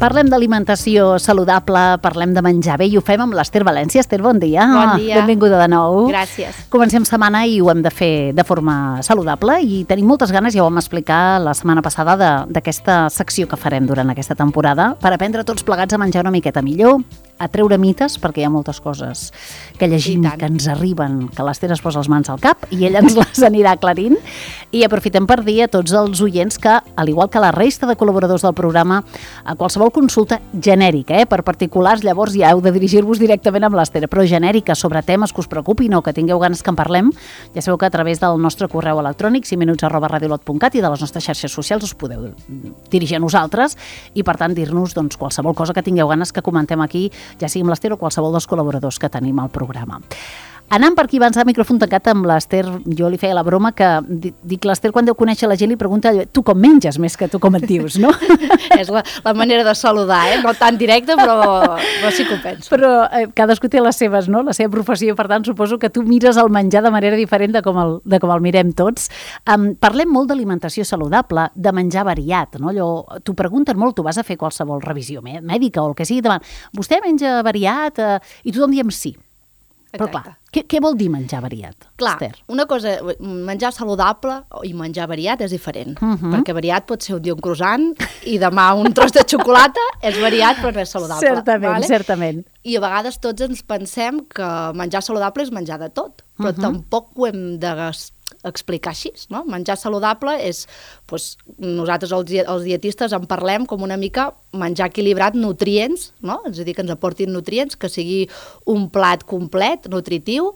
Parlem d'alimentació saludable, parlem de menjar bé i ho fem amb l'Ester València. Ester, bon dia. Bon dia. Benvinguda de nou. Gràcies. Comencem setmana i ho hem de fer de forma saludable i tenim moltes ganes, ja ho vam explicar la setmana passada, d'aquesta secció que farem durant aquesta temporada per aprendre tots plegats a menjar una miqueta millor, a treure mites, perquè hi ha moltes coses que llegim, que ens arriben, que l'Ester es posa les mans al cap i ella ens les anirà aclarint. I aprofitem per dir a tots els oients que, al igual que la resta de col·laboradors del programa, a qualsevol consulta genèrica, per particulars, llavors ja heu de dirigir-vos directament amb l'Ester, però genèrica sobre temes que us preocupin o que tingueu ganes que en parlem, ja sabeu que a través del nostre correu electrònic 5minuts@radiolot.cat i de les nostres xarxes socials us podeu dirigir a nosaltres i, per tant, dir-nos qualsevol cosa que tingueu ganes que comentem aquí, ja sigui amb l'Ester o qualsevol dels col·laboradors que tenim al programa. Anant per aquí abans de micròfon tancat amb l'Ester, jo li feia la broma que dic l'Ester quan deu conèixer la gent li pregunta tu com menges més que tu com et dius, no? És la manera de saludar, no tan directa, però sí que ho penso. Però cadascú té les seves, no? La seva professió, per tant suposo que tu mires el menjar de manera diferent de com el mirem tots. Parlem molt d'alimentació saludable, de menjar variat, no? T'ho pregunten molt, tu vas a fer qualsevol revisió mèdica o el que sigui, davant, vostè menja variat i tothom diem sí. Però clar, què vol dir menjar variat, clar, Esther? Una cosa, menjar saludable i menjar variat és diferent, perquè variat pot ser un dia un croissant i demà un tros de xocolata, és variat però no és saludable. Certament, certament. I a vegades tots ens pensem que menjar saludable és menjar de tot, però tampoc ho hem d'explicar així, no? Menjar saludable és, nosaltres els dietistes en parlem com una mica menjar equilibrat nutrients, no? És a dir, que ens aportin nutrients, que sigui un plat complet, nutritiu,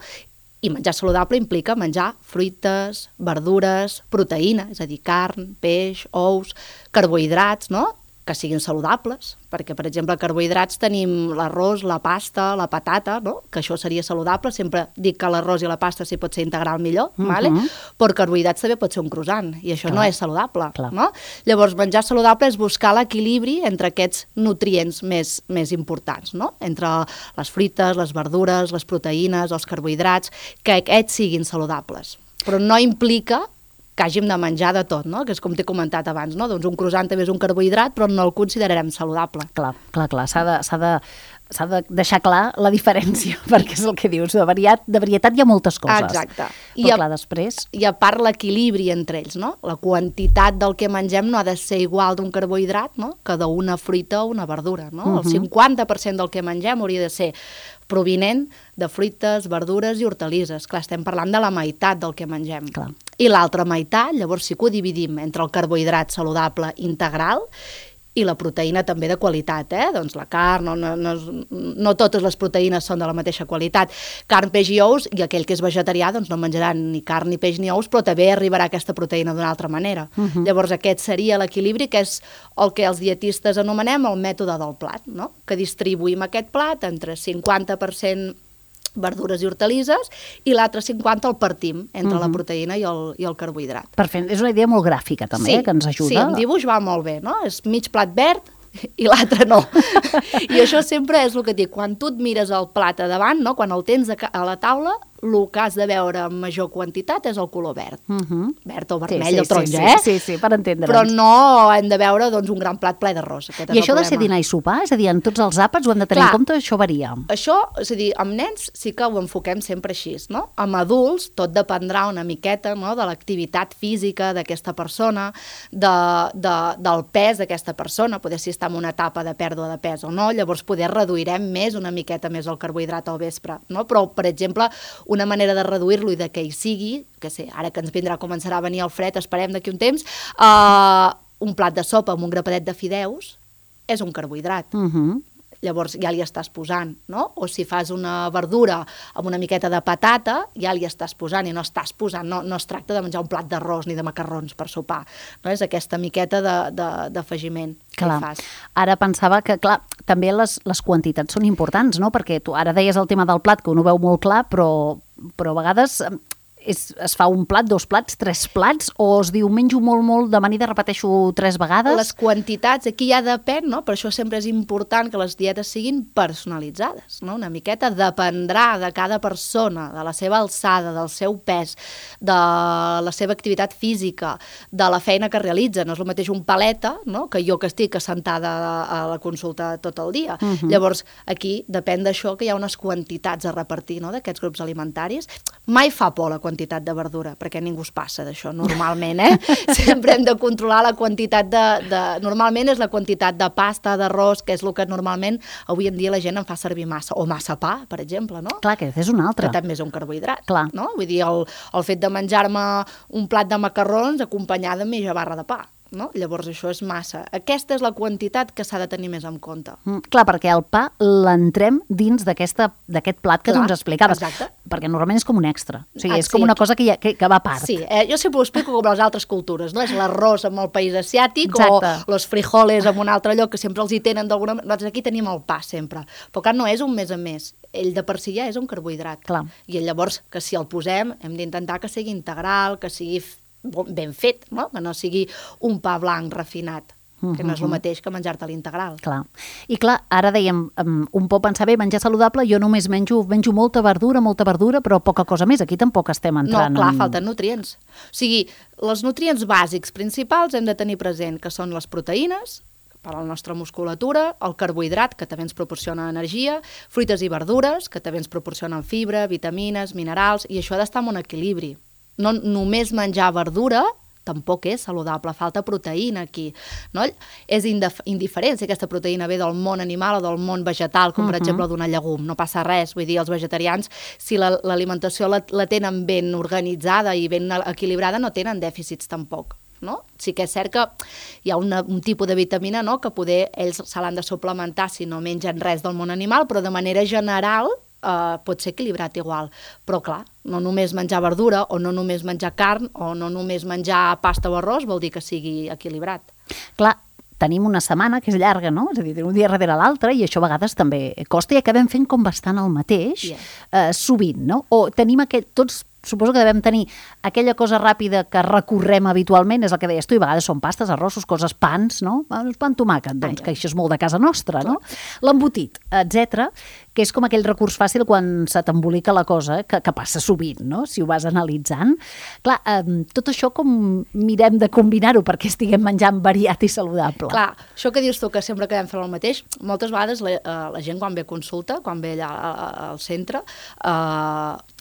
i menjar saludable implica menjar fruites, verdures, proteïna, és a dir, carn, peix, ous, carbohidrats, no?, que siguin saludables, perquè, per exemple, carbohidrats tenim l'arròs, la pasta, la patata, no?, que això seria saludable, sempre dic que l'arròs i la pasta sí pot ser integral millor, però carbohidrats també pot ser un croissant, i això no és saludable, no? Llavors, menjar saludable és buscar l'equilibri entre aquests nutrients més importants, no?, entre les fruites, les verdures, les proteïnes, els carbohidrats, que aquests siguin saludables, però no implica que hàgim de menjar de tot, no? Que és com t'he comentat abans, no? Doncs un croissant també és un carbohidrat, però no el considerarem saludable. Clar, s'ha de deixar clar la diferència, perquè és el que dius, de varietat hi ha moltes coses. Exacte. Però clar, després... I a part l'equilibri entre ells, no? La quantitat del que mengem no ha de ser igual d'un carbohidrat, no?, que d'una fruita o una verdura, no? El 50% del que mengem hauria de ser provinent de fruites, verdures i hortalisses. Clar, estem parlant de la meitat del que mengem. Clar. I l'altra meitat, llavors sí que ho dividim entre el carbohidrat saludable integral i la proteïna també de qualitat, doncs la carn, no totes les proteïnes són de la mateixa qualitat. Carn, peix i ous, i aquell que és vegetarià doncs no menjarà ni carn, ni peix, ni ous, però també arribarà aquesta proteïna d'una altra manera. Llavors aquest seria l'equilibri, que és el que els dietistes anomenem el mètode del plat, no?, que distribuïm aquest plat entre 50% verdures i hortalisses, i l'altre 50 el partim entre la proteïna i el carbohidrat. Perfecte, és una idea molt gràfica també, que ens ajuda. Sí, en dibuix va molt bé, no? És mig plat verd i l'altre no. I això sempre és el que et dic, quan tu et mires el plat a davant, no?, quan el tens a la taula, el que has de veure en major quantitat és el color verd. Verd o vermell o taronja, Sí, per entendre'ns. Però no hem de veure un gran plat ple d'arròs. I això ha de ser dinar i sopar? És a dir, en tots els àpats ho hem de tenir en compte? Això varia? Això, és a dir, amb nens sí que ho enfoquem sempre així, no? Amb adults tot dependrà una miqueta, no?, de l'activitat física d'aquesta persona, del pes d'aquesta persona, poder si està en una etapa de pèrdua de pes o no, llavors poder reduirem una miqueta més el carbohidrat al vespre, no? Però, per exemple, una manera de reduir-lo i de que hi sigui, que sé, ara que ens començarà a venir el fred, esperem d'aquí un temps, un plat de sopa amb un grapadet de fideus és un carbohidrat. Llavors ja li estàs posant, no? O si fas una verdura amb una miqueta de patata, ja li estàs posant i no estàs posant, no es tracta de menjar un plat d'arròs ni de macarrons per sopar, no? És aquesta miqueta d'afegiment que hi fas. Ara pensava que, clar, també les quantitats són importants, no? Perquè tu ara deies el tema del plat, que un ho veu molt clar, però a vegades es fa un plat, 2 plats, 3 plats, o es diu menjo molt d'amanida, repeteixo 3 vegades? Les quantitats, aquí ja depèn, no? Per això sempre és important que les dietes siguin personalitzades, no? Una miqueta dependrà de cada persona, de la seva alçada, del seu pes, de la seva activitat física, de la feina que realitza. No és el mateix un paleta, no? Que jo que estic assentada a la consulta tot el dia. Llavors, aquí depèn d'això que hi ha unes quantitats a repartir, no? D'aquests grups alimentaris. Mai fa por la quantitat de verdura, perquè ningú es passa d'això, normalment, Sempre hem de controlar la quantitat Normalment és la quantitat de pasta, d'arròs, que és el que normalment avui en dia la gent en fa servir massa, o massa pa, per exemple, no? Clar, que és un altre. Que també és un carbohidrat, clar. No? Vull dir, el fet de menjar-me un plat de macarrons acompanyat de mitja barra de pa. No? Llavors això és massa. Aquesta és la quantitat que s'ha de tenir més en compte. Clar, perquè el pa l'entrem dins d'aquest plat que tu ens explicaves. Exacte. Perquè normalment és com un extra. O sigui, és com una cosa que va a part. Sí, jo sempre ho explico com les altres cultures, no? És l'arròs amb el país asiàtic o els frijoles amb un altre lloc que sempre els hi tenen d'alguna manera. Nosaltres aquí tenim el pa sempre. Però clar, no és un més a més. Ell de per si ja és un carbohidrat. Clar. I llavors, que si el posem, hem d'intentar que sigui integral, que sigui ben fet, no? Que no sigui un pa blanc refinat, que no és el mateix que menjar-te l'integral. Clar. I clar, ara dèiem, un pot pensar bé, menjar saludable, jo només menjo molta verdura, però poca cosa més. Aquí tampoc estem entrant... No, clar, falten nutrients. O sigui, els nutrients bàsics principals hem de tenir present, que són les proteïnes, per a la nostra musculatura, el carbohidrat, que també ens proporciona energia, fruites i verdures, que també ens proporcionen fibra, vitamines, minerals, i això ha d'estar en un equilibri. No només menjar verdura tampoc és saludable, falta proteïna aquí, no? És indiferent si aquesta proteïna ve del món animal o del món vegetal, com per exemple d'una llegum, no passa res, vull dir, els vegetarians, si l'alimentació la tenen ben organitzada i ben equilibrada, no tenen dèficits tampoc. No? Sí que és cert que hi ha un tipus de vitamina, no? Que poder ells se l'han de suplementar si no mengen res del món animal, però de manera general pot ser equilibrat igual. Però clar, no només menjar verdura o no només menjar carn o no només menjar pasta o arròs vol dir que sigui equilibrat. Clar, tenim una setmana que és llarga, no? És a dir, un dia darrere l'altre, i això a vegades també costa i acabem fent com bastant el mateix, sovint, no? O tenim tots suposo que devem tenir aquella cosa ràpida que recorrem habitualment, és el que deies tu, i a vegades són pastes, arrossos, coses, pans, no? Pa amb tomàquet, doncs, que això és molt de casa nostra, no? L'embotit, etc., que és com aquell recurs fàcil quan se t'embolica la cosa, que passa sovint, no? Si ho vas analitzant. Clar, tot això com mirem de combinar-ho perquè estiguem menjant variat i saludable. Clar, això que dius tu, que sempre acabem fent el mateix, moltes vegades la gent quan ve a consulta, quan ve allà al centre,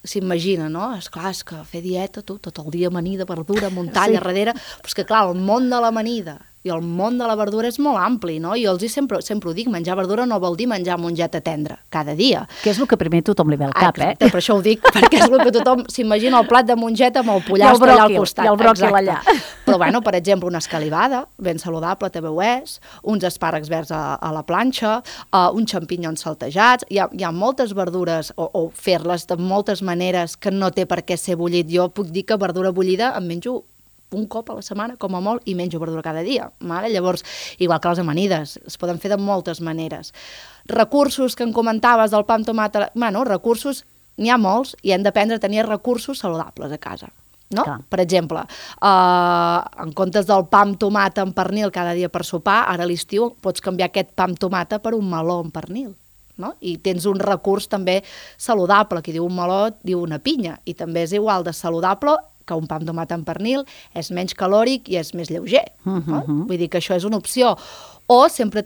s'imagina, no? És clar, és que fer dieta, tu, tot el dia amanida, verdura, muntanya, darrere... Però és que, clar, el món de l'amanida i el món de la verdura és molt ampli, no? Jo sempre ho dic, menjar verdura no vol dir menjar mongeta tendra cada dia. Que és el que primer tothom li ve al cap, exacte, per això ho dic, perquè és el que tothom s'imagina, el plat de mongeta amb el pollastre allà al costat. I el bròquil allà. Però, bueno, per exemple, una escalivada, ben saludable, també ho és, uns espàrrecs verds a la planxa, uns xampinyons saltejats, hi ha moltes verdures, o fer-les de moltes maneres que no té per què ser bullit. Jo puc dir que verdura bullida em menjo un cop a la setmana, com a molt, i menjo verdura cada dia. Vale? Llavors, igual que les amanides, es poden fer de moltes maneres. Recursos que em comentaves del pa amb tomata, bueno, recursos n'hi ha molts i hem d'aprendre a tenir recursos saludables a casa. No? Per exemple, en comptes del pa amb tomata amb pernil cada dia per sopar, ara a l'estiu pots canviar aquest pa amb tomata per un meló amb pernil. No? I tens un recurs també saludable, qui diu un meló diu una pinya, i també és igual de saludable que un pa amb tomata amb pernil, és menys calòric i és més lleuger. No? Vull dir que això és una opció. O sempre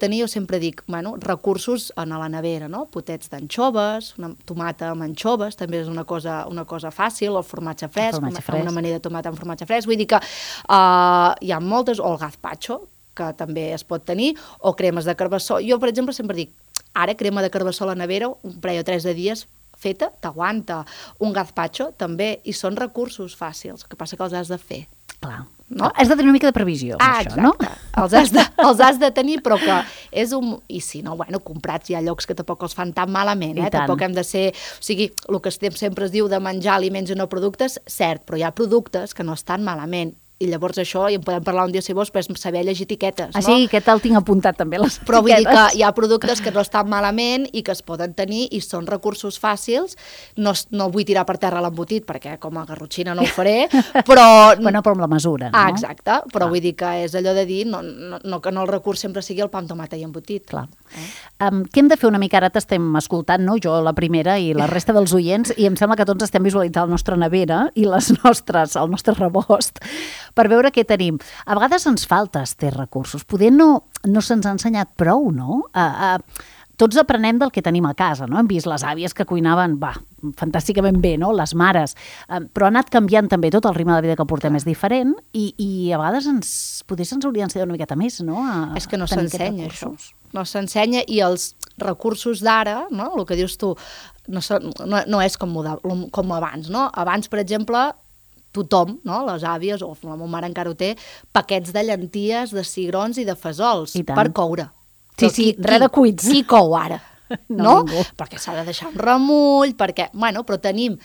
dic, bueno, recursos a la nevera, no? Potets d'anxoves, una tomata amb anxoves, també és una cosa fàcil, el formatge fresc, una amanida de tomata amb formatge fresc. Vull dir que hi ha moltes, o el gazpacho, que també es pot tenir, o cremes de carbassó. Jo, per exemple, sempre dic, ara crema de carbassó a la nevera, un parell o 3 de dies feta, t'aguanta. Un gazpacho també, i són recursos fàcils, el que passa que els has de fer. Clar. No? Has de tenir una mica de previsió, això, no? Exacte. Els has de tenir, però que és un... I si no, bueno, comprats hi ha llocs que tampoc els fan tan malament, Tampoc hem de ser... O sigui, el que sempre es diu de menjar aliments i no productes, cert, però hi ha productes que no estan malament. I llavors això, i en podem parlar un dia si vols, però és saber llegir etiquetes, no? Sí, aquest el tinc apuntat també, les etiquetes. Però vull dir que hi ha productes que no estan malament i que es poden tenir i són recursos fàcils. No vull tirar per terra l'embotit, perquè com a garrotxina no ho faré, però... Bueno, però amb la mesura, no? Exacte, però vull dir que és allò de dir que no el recurs sempre sigui el pa amb tomata i embotit. Clar. Què hem de fer una mica? Ara t'estem escoltant, no? Jo la primera i la resta dels oients, i em sembla que tots estem visualitzant la nostra nevera i el nostre rebost per veure què tenim. A vegades ens falta aquests recursos. Poder no se'ns ha ensenyat prou, no? Tots aprenem del que tenim a casa, no? Hem vist les àvies que cuinaven, fantàsticament bé, no? Les mares. Però ha anat canviant també tot, el ritme de vida que portem és diferent i a vegades potser se'ns hauria d'ensenyar una miqueta més, no? És que no s'ensenya això. No s'ensenya i els recursos d'ara, no? El que dius tu, no és com abans, no? Abans, per exemple, tothom, no? Les àvies, o la meva mare encara ho té, paquets de llenties, de cigrons i de fesols per coure. Sí, res de cuits. Qui cou ara? No? Ningú. Perquè s'ha de deixar un remull, però tenim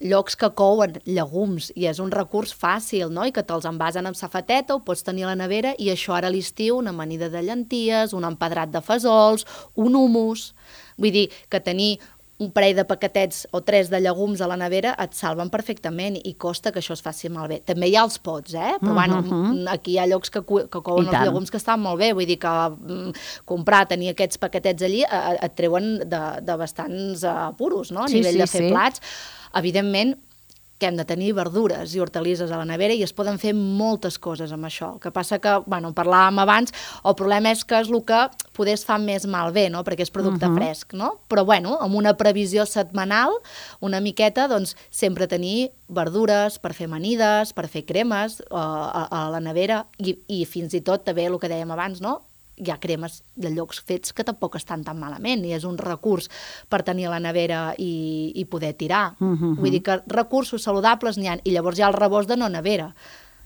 llocs que couen llegums i és un recurs fàcil, no? I que te'ls envasen amb safateta, ho pots tenir a la nevera i això ara a l'estiu, una amanida de llenties, un empedrat de fesols, un hummus. Vull dir que tenir un parell de paquetets o 3 de llegums a la nevera et salven perfectament i costa que això es faci malbé. També hi ha els pots, però aquí hi ha llocs que couen els llegums que estan molt bé, vull dir que tenir aquests paquetets allí et treuen de bastants apuros, no? A nivell de fer plats. Evidentment, que hem de tenir verdures i hortalisses a la nevera i es poden fer moltes coses amb això. El que passa que, parlàvem abans, el problema és que és el que poder es fa més malbé, no? Perquè és producte fresc, no? Però, amb una previsió setmanal, una miqueta, doncs, sempre tenir verdures per fer amanides, per fer cremes a la nevera i fins i tot també el que dèiem abans, no? Hi ha cremes de llocs fets que tampoc estan tan malament i és un recurs per tenir a la nevera i poder tirar. Vull dir que recursos saludables n'hi ha, i llavors hi ha el rebost de no nevera,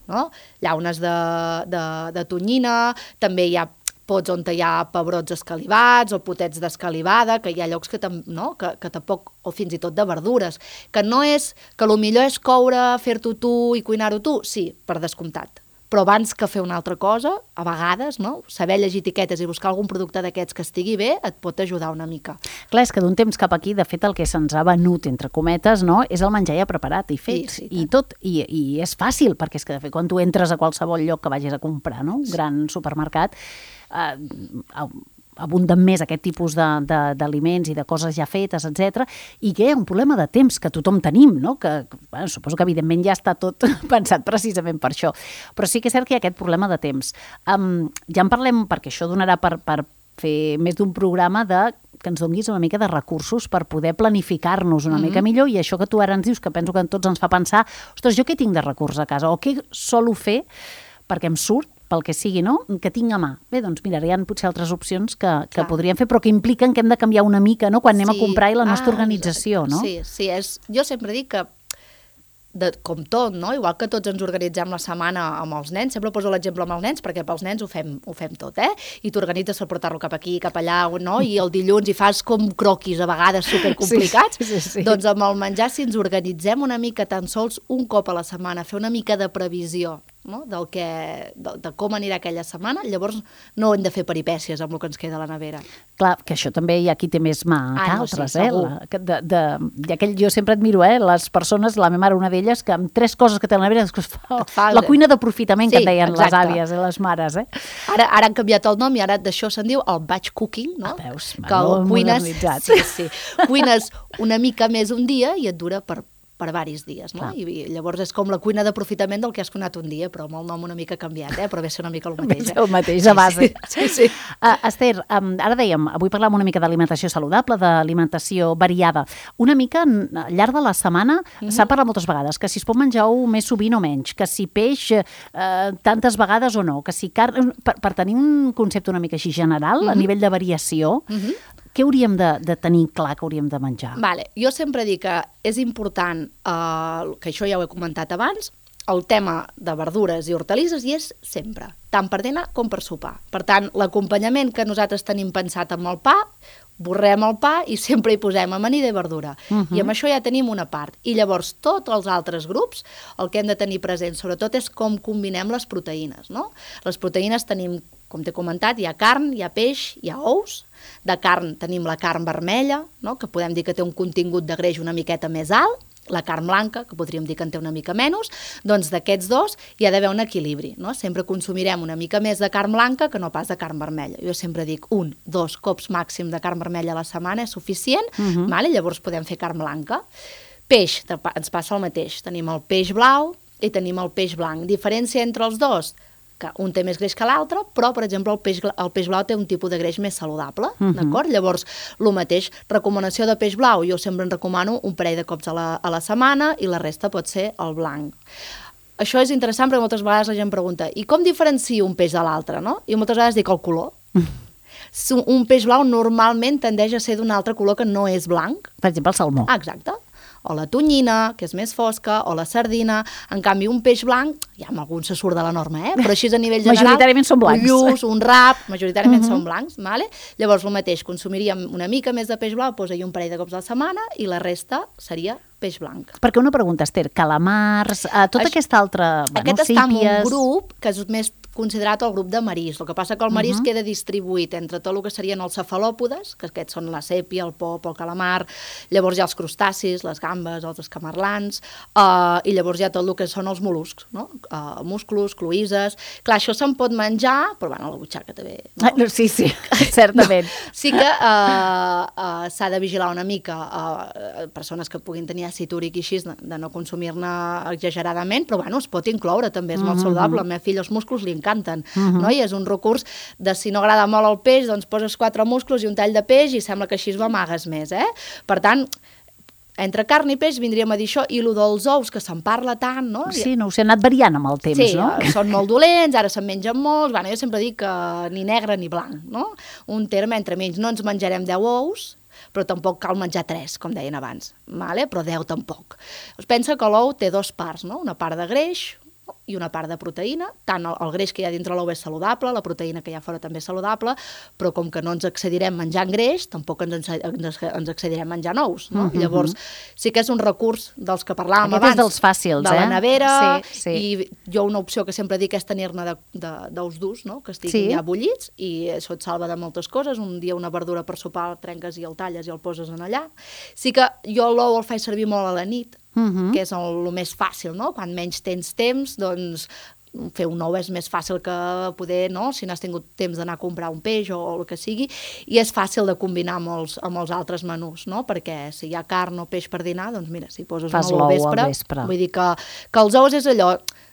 no? Llaunes de tonyina, també hi ha pots on hi ha pebrots escalivats o potets d'escalivada, que hi ha llocs que tampoc, o fins i tot de verdures, que no és, que el millor és coure, fer-t'ho tu i cuinar-ho tu, sí, per descomptat. Però abans que fer una altra cosa, a vegades, no? Saber llegir etiquetes i buscar algun producte d'aquests que estigui bé et pot ajudar una mica. Clar, és que d'un temps cap aquí, de fet, el que se'ns ha venut, entre cometes, no? És el menjar ja preparat i fet, i tot. I és fàcil, perquè és que, de fet, quan tu entres a qualsevol lloc que vagis a comprar, no? Un gran supermercat, abunden més aquest tipus d'aliments i de coses ja fetes, etc. I que hi ha un problema de temps que tothom tenim, no? Que suposo que evidentment ja està tot pensat precisament per això. Però sí que és cert que hi ha aquest problema de temps. Ja en parlem, perquè això donarà per fer més d'un programa que ens donis una mica de recursos per poder planificar-nos una mica millor, i això que tu ara ens dius, que penso que a tots ens fa pensar, ostres, jo què tinc de recurs a casa? O què solo fer perquè em surt, pel que sigui, no? Que tinc a mà. Bé, doncs mira, hi ha potser altres opcions que podríem fer, però que impliquen que hem de canviar una mica, no? Quan anem a comprar i la nostra organització, no? Sí, jo sempre dic que com tot, no? Igual que tots ens organitzem la setmana amb els nens, sempre poso l'exemple amb els nens, perquè pels nens ho fem tot, i t'organitzes per portar-lo cap aquí, cap allà, no? I el dilluns hi fas com croquis a vegades supercomplicats. Sí. Doncs amb el menjar, si ens organitzem una mica, tan sols un cop a la setmana, fer una mica de previsió, no? De com anirà aquella setmana, llavors no hem de fer peripècies amb el que ens queda a la nevera. Clar, que això també hi ha qui té més mà que altres, segur. Jo sempre admiro, les persones, la meva mare, una d'elles, que amb 3 coses que té a la nevera, la cuina d'aprofitament, que en deien les àvies i les mares. Ara han canviat el nom i ara d'això se'n diu el batch cooking, no? Veus, modernitzat. Sí. Cuines una mica més un dia i et dura per diversos dies, no? I llavors és com la cuina d'aprofitament del que has cuinat un dia, però amb el nom una mica canviat, però ve ser una mica el mateix. El mateix, a base. Sí. Esther, ara dèiem, avui parlàvem una mica d'alimentació saludable, d'alimentació variada. Una mica, al llarg de la setmana, s'ha parlat moltes vegades, que si es pot menjar més sovint o menys, que si peix tantes vegades o no, que si carn... Per tenir un concepte una mica així general, a nivell de variació, què hauríem de tenir clar que hauríem de menjar? Jo sempre dic que és important, que això ja ho he comentat abans, el tema de verdures i hortalisses hi és sempre, tant per dinar com per sopar. Per tant, l'acompanyament que nosaltres tenim pensat amb el pa, borrem el pa i sempre hi posem amanida i verdura. I amb això ja tenim una part. I llavors tots els altres grups el que hem de tenir present sobretot és com combinem les proteïnes, no? Les proteïnes tenim, com t'he comentat, hi ha carn, hi ha peix, hi ha ous. De carn tenim la carn vermella, no? Que podem dir que té un contingut de greix una miqueta més alt, la carn blanca, que podríem dir que en té una mica menys, doncs d'aquests dos hi ha d'haver un equilibri, no? Sempre consumirem una mica més de carn blanca que no pas de carn vermella. Jo sempre dic 1-2 cops màxim de carn vermella a la setmana és suficient, vale? Llavors podem fer carn blanca. Peix, ens passa el mateix. Tenim el peix blau i tenim el peix blanc. Diferència entre els dos? Que un té més greix que l'altre, però, per exemple, el peix blau té un tipus de greix més saludable, d'acord? Llavors, el mateix, recomanació de peix blau, jo sempre en recomano un parell de cops a la setmana i la resta pot ser el blanc. Això és interessant perquè moltes vegades la gent pregunta i com diferencio un peix de l'altre, no? I moltes vegades dic el color. Un peix blau normalment tendeix a ser d'un altre color que no és blanc. Per exemple, el salmó. Exacte. O la tonyina, que és més fosca, o la sardina. En canvi, un peix blanc, ja amb algun se surt de la norma, però així a nivell general... Majoritàriament són blancs. Un lluç, un rap, majoritàriament són blancs, vale? Llavors, el mateix, consumiríem una mica més de peix blau, posa-hi un parell de cops a la setmana, i la resta seria peix blanc. Perquè una pregunta, Esther, calamars, tota aquesta altra... Aquest està en un grup que és més considerat el grup de marisc. El que passa que el marisc queda distribuït entre tot el que serien els cefalòpodes, que aquests són la sèpia, el pop, el calamar, llavors hi ha els crustacis, les gambes, els escamarlans, i llavors hi ha tot el que són els mol·luscs, no? Musclos, cloïsses... Clar, això se'n pot menjar, però bueno, a la butxaca també. No? Sí, certament. Sí que s'ha de vigilar una mica persones que puguin tenir àcid úric i així, de no consumir-ne exageradament, però bueno, es pot incloure, també és molt saludable. A la meva filla els musclos li encanten, no? I és un recurs de si no agrada molt el peix, doncs poses 4 musclos i un tall de peix i sembla que així ho amagues més, Per tant, entre carn i peix vindríem a dir això, i el dels ous, que se'n parla tant, no? Sí, no, s'ha anat variant amb el temps, no? Sí, són molt dolents, ara se'n mengen molts, bueno, jo sempre dic que ni negre ni blanc, no? Un terme entre mig, no ens menjarem 10 ous, però tampoc cal menjar 3, com deien abans, vale? Però 10 tampoc. Es pensa que l'ou té 2 parts, no? Una part de greix i una part de proteïna, tant el greix que hi ha dintre l'ou és saludable, la proteïna que hi ha fora també és saludable, però com que no ens excedirem menjant greix, tampoc ens excedirem menjant ous, no? Llavors, sí que és un recurs dels que parlàvem abans. Aquest és dels fàcils, de la nevera, sí. I jo una opció que sempre dic és tenir-ne d'ous durs, no? Que estiguin ja bullits, i això et salva de moltes coses. Un dia una verdura per sopar el trenques i el talles i el poses en allà. Sí que jo l'ou el faig servir molt a la nit, que és el més fàcil, no? Quan menys tens temps, doncs fer un ou és més fàcil que poder, no? Si no has tingut temps d'anar a comprar un peix o el que sigui, i és fàcil de combinar amb els altres menús, no? Perquè si hi ha carn o peix per dinar, doncs mira, si poses un ou al vespre, vull dir que els ous és allò,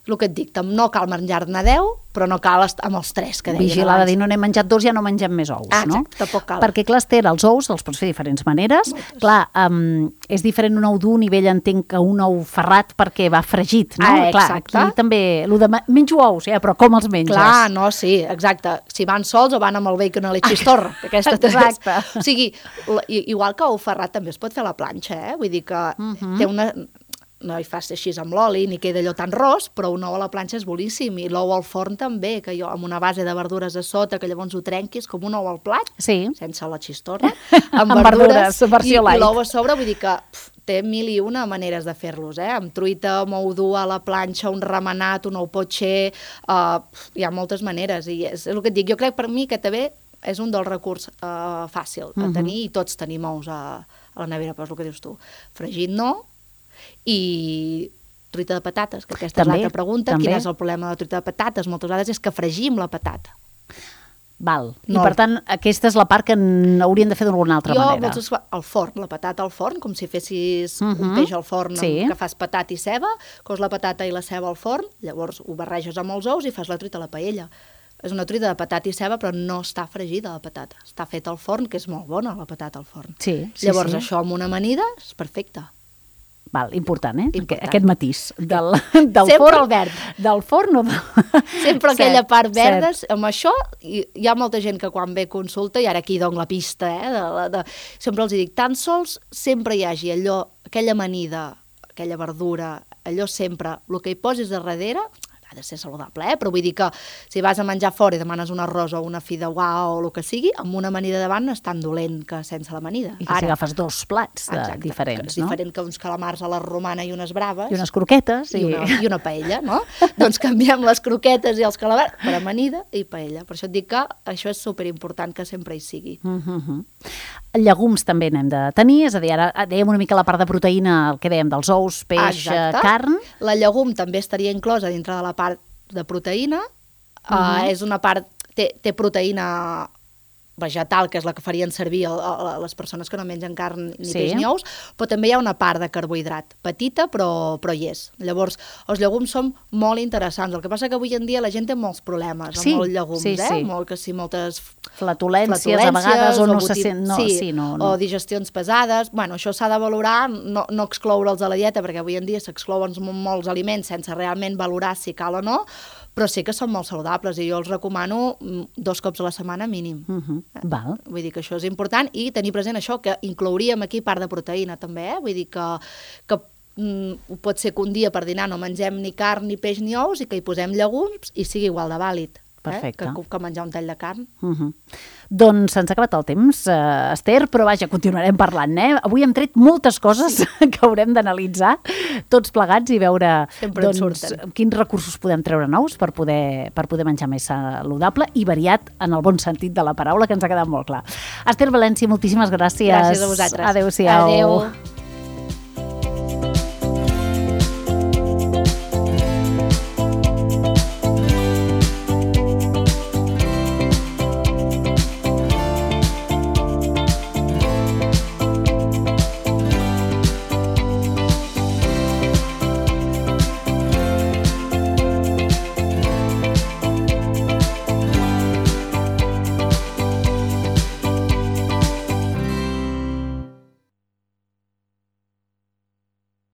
el que et dic, no cal menjar-ne 10, però no cal amb els 3 que deien abans. Vigilar de dir, no n'he menjat 2, ja no mengem més ous, no? Exacte, tampoc cal. Perquè, clar, Esther, els ous els pots fer de diferents maneres. Clar, és diferent un ou dur, nivell entenc que un ou ferrat perquè va fregit, no? Clar, aquí també, menjo ous, però com els menges? Clar, no, sí, exacte. Si van sols o van amb el bacon a la xistorra. Exacte. O sigui, igual que ou ferrat també es pot fer a la planxa, Vull dir que té una... No hi fas així amb l'oli, ni queda allò tan ros, però un ou a la planxa és boníssim, i l'ou al forn també, que jo amb una base de verdures a sota, que llavors ho trenquis com un ou al plat, sense la xistorra, amb verdures versió light. I l'ou a sobre, vull dir que té 1001 maneres de fer-los, amb truita, amb ou dur a la planxa, un remenat, un ou potxer, hi ha moltes maneres, i és el que et dic, jo crec per mi que també és un dels recurs fàcil a tenir, i tots tenim ous a la nevera, però és el que dius tu, fregit no, i truita de patates, que aquesta és l'altra pregunta. Quin és el problema de la truita de patates? Moltes vegades és que fregim la patata. Val. I per tant, aquesta és la part que haurien de fer d'alguna altra manera. Jo, al forn, la patata al forn, com si fessis un peix al forn, que fas patata i ceba, cos la patata i la ceba al forn, llavors ho barreges amb els ous i fas la truita a la paella. És una truita de patata i ceba, però no està fregida la patata. Està feta al forn, que és molt bona la patata al forn. Llavors això amb una amanida és perfecte. Val, important, Aquest matís del sempre forn. El verd. Del forn o sempre aquella part verda. Amb això hi ha molta gent que quan ve consulta, i ara aquí dono la pista, sempre els dic, tan sols sempre hi hagi allò, aquella amanida, aquella verdura, allò sempre, el que hi posis a darrere ha de ser saludable, però vull dir que si vas a menjar fora i demanes un arròs o una fideuà o el que sigui, amb una amanida davant no és tan dolent que sense l'amanida. I que si agafes 2 plats diferents, no? Diferent que uns calamars a la romana i unes braves. I unes croquetes. I una paella, no? Doncs canviem les croquetes i els calamars per amanida i paella. Per això et dic que això és superimportant que sempre hi sigui. Llegums també n'hem de tenir, és a dir, ara dèiem una mica la part de proteïna, el que dèiem dels ous, peix, carn. La llegum també estaria inclosa dintre de la part de proteïna. És una part, té proteïna vegetal, que és la que farien servir les persones que no mengen carn ni peix ni ous, però també hi ha una part de carbohidrat, petita, però hi és. Llavors, els llegums són molt interessants. El que passa que avui en dia la gent té molts problemes amb els llegums, moltes flatulències a vegades, o no se sent... o digestions pesades. Bueno, això s'ha de valorar, no excloure'ls a la dieta, perquè avui en dia s'exclouen molts aliments sense realment valorar si cal o no, però sí que són molt saludables i jo els recomano 2 cops a la setmana mínim. Val. Vull dir que això és important i tenir present això, que inclouríem aquí part de proteïna també, vull dir que pot ser que un dia per dinar no mengem ni carn, ni peix, ni ous i que hi posem llegums i sigui igual de vàlid. Perfecte. Que menjar un tall de carn. Doncs se'ns ha acabat el temps, Esther, però vaja, continuarem parlant, Avui hem tret moltes coses que haurem d'analitzar tots plegats i veure quins recursos podem treure nous per poder menjar més saludable i variat en el bon sentit de la paraula, que ens ha quedat molt clar. Esther València, moltíssimes gràcies. Gràcies a vosaltres. Adéu-siau. Adéu.